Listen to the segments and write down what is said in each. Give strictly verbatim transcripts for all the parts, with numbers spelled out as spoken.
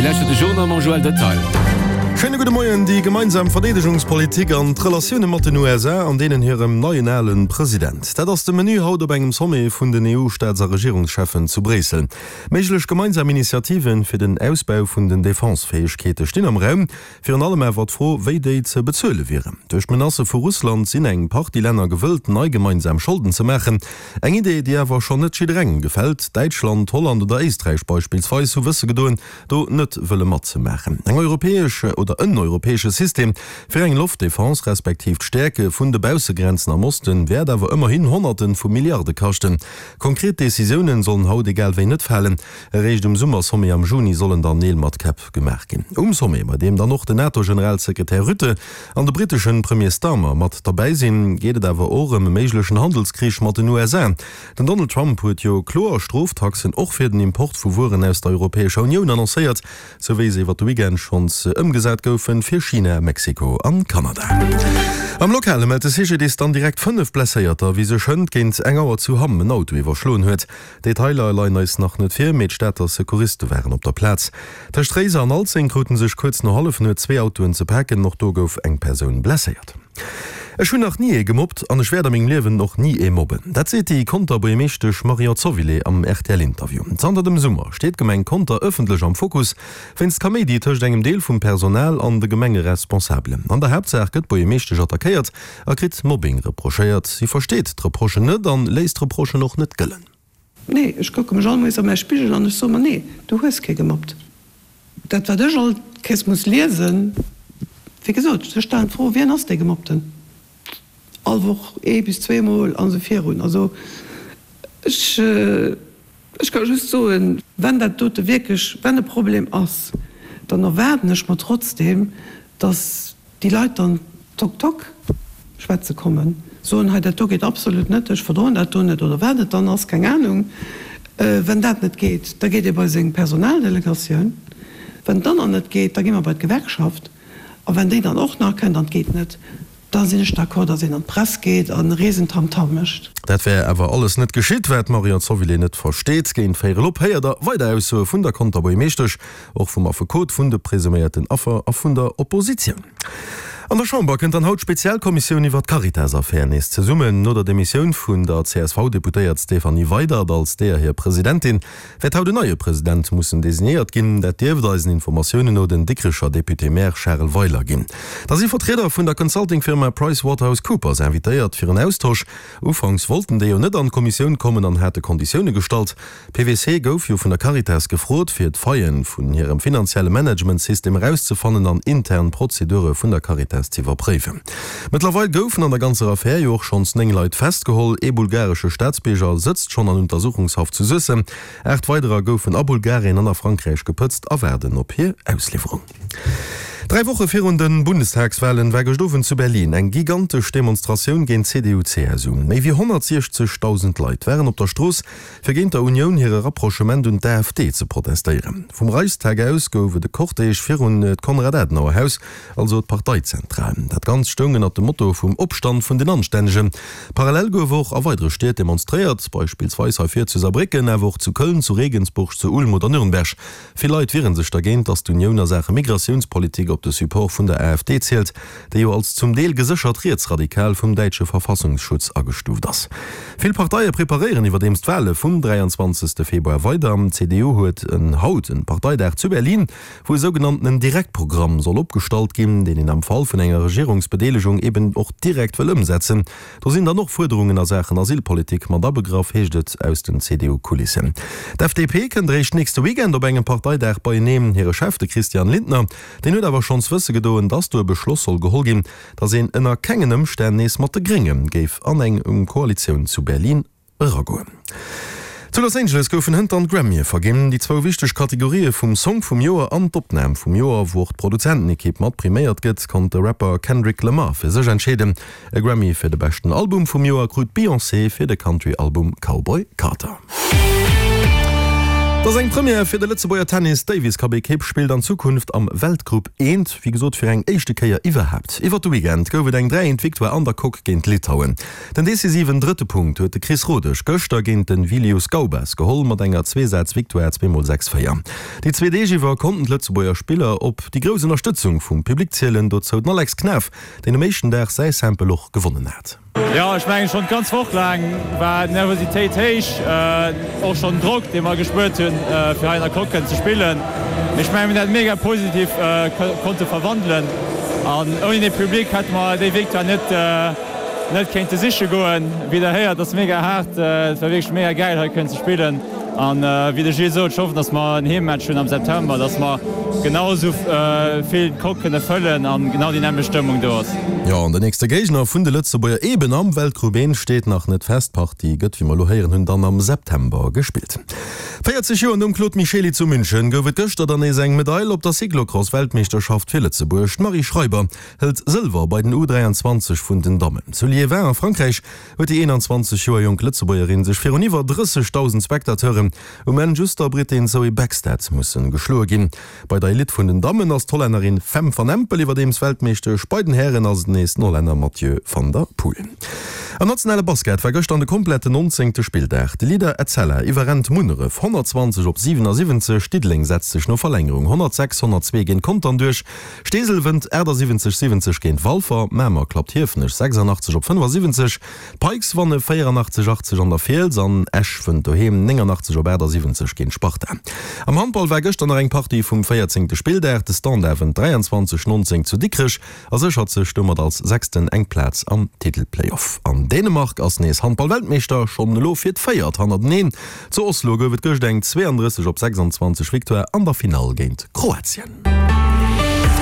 Dir lauschtert de Journal mam Joël Detail. Schéine gudde Moien. Déi gemeinsam Verdeedegungspolitik an d'Relatioune mat den U S A an deenen hirem neien alen President, dat ass de Menü haut op engem Sommet vun den E U-Staats a Regierungscheffen zu Bréissel. Méiglech gemeinsam Initiative fir den Ausbau vun den Defense-Fäegkeete stinn am Raum, virun allem awer d'Fro, wéi déi ze bezuele wieren. Duerch d'Menacë vu Russland sinn eng Partie Länner gewëllt, nei gemeinsam Scholden ze maachen. Eng Idee, déi awer schonn net jidderengem gefält. Däitschland, Holland oder Éisträich beispillsweis hu wësse gedoen, do net wëlle matzemaachen. Eng europäesch oder en europäesche System fir eng Loftdefense respektiv d'Stäerke vun de Baussegrenzen am Osten wäert awer ëmmerhin Honnerte vu Milliarde kaschten. Konkret Decisiounen sollen haut egal wéi net falen. Eréischt um Summersommet am Juni sollen dann Neel mat Käpp gemaach ginn. Um Sommet, bei deem dann och den NATO-Generalsekretär Rutte an de britteschen Premier Starmer mat derbäi sinn, geet et awer och ëm e méiglechen Handelskrich mat den U S A. Den Donald Trump huet jo kloer Stroftaxen och fir den Import vu Wueren aus der Europäescher Unioun annoncéiert, sou wéi se iwwer de Weekend schonns ëmgesat goufen fir China, Mexiko an Kanada. Am Lokale mellt de C G D S dann direkt fënnef Blesséierter, wéi sech hënt géint eng Auer zu Hamm en Auto iwwerschloen huet. Detailer leien eis nach net vir, mee d'Stater Secouriste waren op der Plaz. Tëscht Réiser an Alzeng kruten sech kuerz no hallefnuet zwee Autoen ze paken, och do gouf eng Persoun blesséiert. Ech hunn nach ni ee gemobbt an ech wäert a mengem Liewen och ni ee mobben. Dat seet déi Conter Buergermeeschtesch Marion Zovilé am R T L-Interview. Zanter dem Summer steet d'Gemeng Conter ëffentlech am Fokus, wéinst Kaméidi tëscht engem Deel vum Personal an de Gemengeresponsabelen. An der Haaptsaach gëtt d'Buergermeeschtesch attackéiert a kritt Mobbing reprochéiert. Si versteet d'Reprochen net an léisst d'Reprochen och net gëllen. Nee, ech kucke mech all Moies a mäi Spigel an ech soe mer, nee, du hues kee gemobbt. Dat, wat ech all Kéiers muss liesen, wéi gesot, ech stellen d'Fro, wien ass dee Gemobbten? All Woch ee bis zweemol an esou virun. Also, ech, ech ka just soen, wenn dat dote wierklech, wenn e Problem ass, dann erwaarden ech mer trotzdem, dass déi Leit dann tock tock schwätze kommen, soen, hei, dat do geet absolut net, ech verdroen dat do net, oder wat et dann ass, keng Ahnung. Wenn dat net geet, da geet ee bei seng Personaldelegatioun. Wenn dann nach net geet, da gi mer bei d'Gewerkschaft. A wenn déi dann och nach kënnt an et geet net, da sinn ech d'accord, dass een an d'Press geet an e Riesentamtam mécht. Dat wär awer alles net geschitt, wat d'Marion Zovilé net versteet. Géint véierel op héiert der weider Aussoe vun der Conter Buergermeeschtesch, och vum Affekot vun de presuméierten Affer a vun der Oppositioun. An der Chamber kënnt dann haut d'Spezialkommissioun iwwer d'Caritas-Affär nees zesummen. No der Demissioun vun der C S V-Deputéiert Stéphanie Weydert als deeër hir Presidentin wäert haut en neie President mussen designéiert ginn. Dat dierft eisen Informatiounen no den Dikrecher Député-Maire Charel Weiler ginn. Da si Vertrieder vun der Consultingfirma PricewaterhouseCoopers invitéiert fir en Austausch. Ufanks wollten déi jo net an d'Kommissioun kommen an hate Konditioune gestallt. P W C gouf jo vun der Caritas gefrot, fir d'Faillen vun hirem finanzielle Managementsystem erauszefannen an intern Prozedure vun der Caritas ze iwwerpréiwen. Mëttlerweil goufen an der ganzer Affär jo och schonns néng Leit festgeholl. Ee bulgaresche Staatsbierger sëtzt schonn an Untersuchungshaft zu Suessem. Aacht weiderer goufen a Bulgarien an a Frankräich gepëtzt a waarden op hir Ausliwwerung. Dräi Woche virun den Bundestagswahlen war gëscht Owend zu Berlin eng gigantesch Demonstratioun géint C D U C S U. Méi wéi honnertsiechzegdausend Leit waren op der Strooss, fir géint der Unioun hire Rapprochement un d'A F D ze protestéieren. Vum Reichstag aus gouf et e Cortège virun d'Konrad-Adenauer-Haus, also d'Parteizentral. Dat Ganzt stoung ënner dem Motto vum Opstand vun den Anstännegen. Parallel gouf och a weidere Stied demonstréiert, beispillsweis hei vir zu Saarbrécken, awer och zu Köln, zu Regensburg, zu Ulm oder Nürnberg. Vill Leit wieren sech dergéint, dass d'Unioun a Sache Migratiounspolitik op de Support vun der A F D zielt, déi jo als zum Deel geséchert rietsradikal vum däitsche Verfassungsschutz agestuft ass. Vill Parteie preparéieren iwwerdeems d'Wahle vum dräianzwanzegste Februar weider. D C D U huet en haut en Parteidag zu Berlin, wou e sougenannten Direktprogramm soll opgestallt ginn, deen een am Fall vun enger Regierungsbedeelegung eben och direkt wëll ëmsetzen. Do sinn dann och Fuerderungen a Sachen Asylpolitik mat abegraff, heescht et aus den C D U-Kulissen. D'F D P kënnt eréischt nächste Weekend op engem Parteidag beieneen. Hire Chef, de Christian Lindner, deen huet awer schonns wësse gedoen, dass do e Beschloss soll geholl ginn, dass een ënner kengen Ëmstänn nees mat de Grénge géif an eng Koalitioun zu Berlin eragoen. Zu Los Angeles goufen hënt an Grammye verginn, déi zwou wichteg Kategorië vum Song vum Joer an d'Opnam vum Joer, wou och d'Produzentenekipp mat priméiert gëtt, konnt de Rapper Kendrick Lamar fir sech entscheeden. E Grammy fir de beschten Album vum Joer krut Beyoncé fir de Country-Album Cowboy Carter. Et ass eng Première fir de Lëtzebuerger Tennis, D'Davis Cup Ekipp spillt an Zukunft am Weltgrupp eent, wéi gesot fir eng éischte Kéier iwwerhaapt. Iwwert de Weekend gouf et eng dräi eent Victoire an der Coque géint Litauen. Den decisiven drëtte Punkt huet de Chris Rodesch gëschter géint de Vilius Gaubas geholl mat enger Zwee-Saz-Victoire, zwee mol sechs, véier. Déi zwee Deeg iwwer konnten d'Lëtzebuerger Spiller op déi grouss Ënnerstëtzung vum Public zielen, dozou den Alex Knaff, deen um éischten Dag säi Simple och gewonnen hat. Jo, ech mengen schonn d'ganz Woch laang war d'Nervositéit héich, och schonn den Drock dee mer gespuert hunn fir hei an der Coque kënnen ze spillen. Mee ech mengen mir hunn dat mega positiv konnte verwandelen an ouni de Public hätte mer déi Victoire net net kéinte siche goen. Wéi der héiert ass mega haart, et war wierklech mega gäil hei kënnen ze spillen. An wéi de Gilles sot, ech hoffen, datt mer en Heemmatch hunn am September, datt mer genau esou vill d'Coque kënne fëllen an genau déi nämmlecht Stëmmung do ass. Jo, an den nächste Géigner vun de Lëtzebuerger eben am Weltgrupp eent steet nach net fest. D'Partie gëtt, wéi mer elo héieren hunn, dann am September gespillt. véierzeg Joer nom Claude Michely zu München gouf et gëschter dann nees eng Medail op der Cyclocross-Weltmeeschterschaft fir Lëtzebuerg. D'Marie Schreiber hëlt Sëlwer bei den U dräianzwanzeg vun den Dammen. Zu Liévin a Frankräich huet déi eenanzwanzeg Joer jonk Lëtzebuergerin sech virun iwwer drëssegdausend Spectateuren um Enn just der Brittin Zoe Bäckstedt musse geschloe ginn. Bei der Elite vun den Dammen ass d'Hollännerin Fem van Empel iwwerdeems Weltmeeschtesch, bei den Hären ass et nees den Hollänner Mathieu van der Poel. Am nationale Basket war gëschter de kompletten nonzéngte Spilldag. De Leader Etzella iwwerrennt Munneref honnertzwanzeg op siwenasiwwenzeg, Diddeleng setzt sech no Verlängerung honnertsechs, honnertzwee géint Contern duerch, Steesel wënnt achtasiwwenzeg, siwwenzeg géint Walfer, Mamer klappt Hiefenech sechsandachtzeg op fënnefasiwwenzeg, d'Pikes wanne véierandachtzeg, achtzeg an der Fiels an Esch wënnt doheem néngandachtzeg op achtasiwwenzeg géint Sparta. Am Handball war gëschter nach eng Partie vum véierzéngte Spilldag. De Standard wënnt dräianzwanzeg, nonzéng zu Dikrech a séchert sech domat als Sechsten eng Plaz am Titelplayoff. An Dänemark ass nees Handball-Weltmeeschter, schonn elo fir d'véiert hannerteneen. Zu Oslo gouf et gëscht eng zweeandrësseg op sechsandzwanzeg Victoire an der Finall géint Kroatien.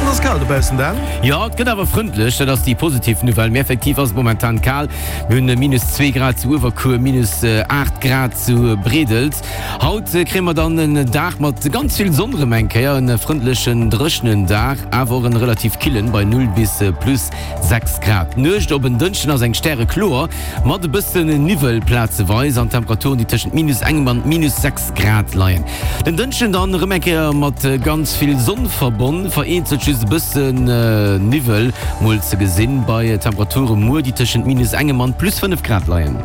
Et ass kal dobaussen, Dan. Jo, et gëtt awer frëndlech, dat ass déi positiv Nouvelle. Mee effektiv ass et momentan kal. Mir hunn minus zwee Grad zu Uewerkuer, minus aacht Grad zu Breedels. Haut kréie mer dann en Dag mat ganz vill Sonn erëm eng Kéier, en frëndlechen, dréchenen Dag, awer och en relativ killen, bei null bis plus sechs Grad. D'Nuecht op en Dënschden ass eng stärekloer mat e bëssen Niwwel plazeweis an Temperaturen, déi tëschent minus engem an minus sechs Grad leien. Den Dënschden dann erëm eng Kéier mat ganz vill Sonn verbonn, vereenzelt just e bëssen Niwwel mol ze gesinn, bei Temperature muer, déi tëschent minus engem an plus fënnef Grad leien.